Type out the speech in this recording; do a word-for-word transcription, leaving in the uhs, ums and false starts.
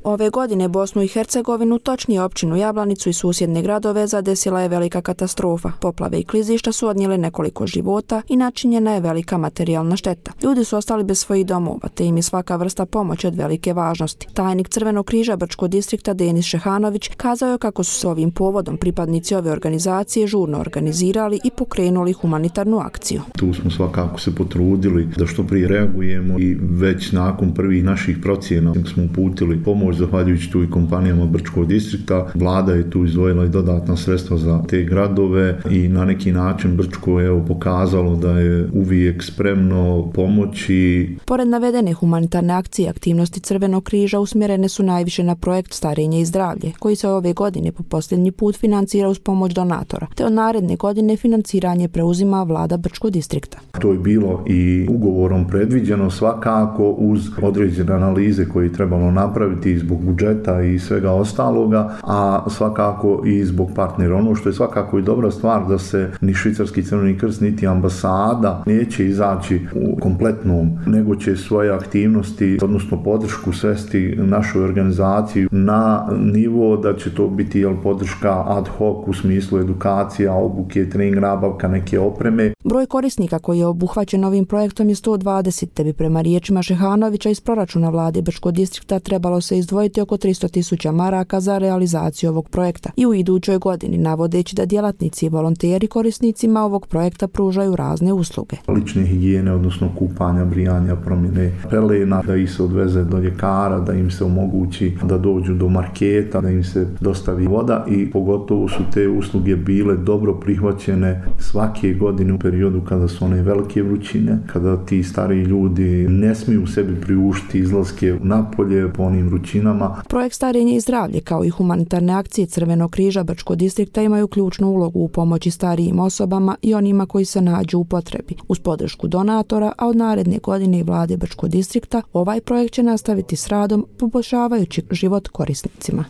Ove godine Bosnu i Hercegovinu, točnije općinu Jablanicu i susjedne gradove, zadesila je velika katastrofa. Poplave i klizišta su odnijele nekoliko života i načinjena je velika materijalna šteta. Ljudi su ostali bez svojih domova, te im je svaka vrsta pomoći od velike važnosti. Tajnik Crvenog križa Brčkog distrikta Denis Šehanović kazao je kako su se ovim povodom pripadnici ove organizacije žurno organizirali i pokrenuli humanitarnu akciju. Tu smo svakako se potrudili da što prije reagujemo i već nakon prvih naših procjena smo uputili pomoć zahvaljujući tu i kompanijama Brčkog distrikta. Vlada je tu izdvojila i dodatna sredstva za te gradove i na neki način Brčko je evo pokazalo da je uvijek spremno pomoći. Pored navedene humanitarne akcije, aktivnosti Crvenog križa usmjerene su najviše na projekt Starenje i zdravlje, koji se ove godine po posljednji put financira uz pomoć donatora, te od naredne godine financiranje preuzima vlada Brčkog distrikta. To je bilo i ugovorom predviđeno svakako uz određene analize koje je trebalo napraviti zbog budžeta i svega ostaloga, a svakako i zbog partnera. Ono što je svakako i dobra stvar da se ni Švicarski Crveni krst niti ambasada neće izaći u kompletnom, nego će svoje aktivnosti, odnosno podršku svesti našoj organizaciji na nivo da će to biti jel, podrška ad hoc u smislu edukacija, obuke, trening, nabavka neke opreme. Broj korisnika koji je obuhvaćen ovim projektom je sto dvadeset, te bi prema riječima Šehanovića iz proračuna vlade Brčkog distrikta trebalo se izdvojiti oko tristo tisuća maraka za realizaciju ovog projekta i u idućoj godini, navodeći da djelatnici i volonteri korisnicima ovog projekta pružaju razne usluge. Lične higijene, odnosno kupanja, brijanja, promjene pelena, da ih se odveze do ljekara, da im se omogući da dođu do marketa, da im se dostavi voda i pogotovo su te usluge bile dobro prihvaćene svake godine u periodu kada su one velike vrućine, kada ti stariji ljudi ne smiju sebi priuštiti izlaske napolje po onim vrućinama. Projekt Starenje i zdravlje kao i humanitarne akcije Crvenog križa Brčkog distrikta imaju ključnu ulogu u pomoći starijim osobama i onima koji se nađu u potrebi. Uz podršku donatora, a od naredne godine i vlade Brčkog distrikta, ovaj projekt će nastaviti s radom poboljšavajući život korisnicima.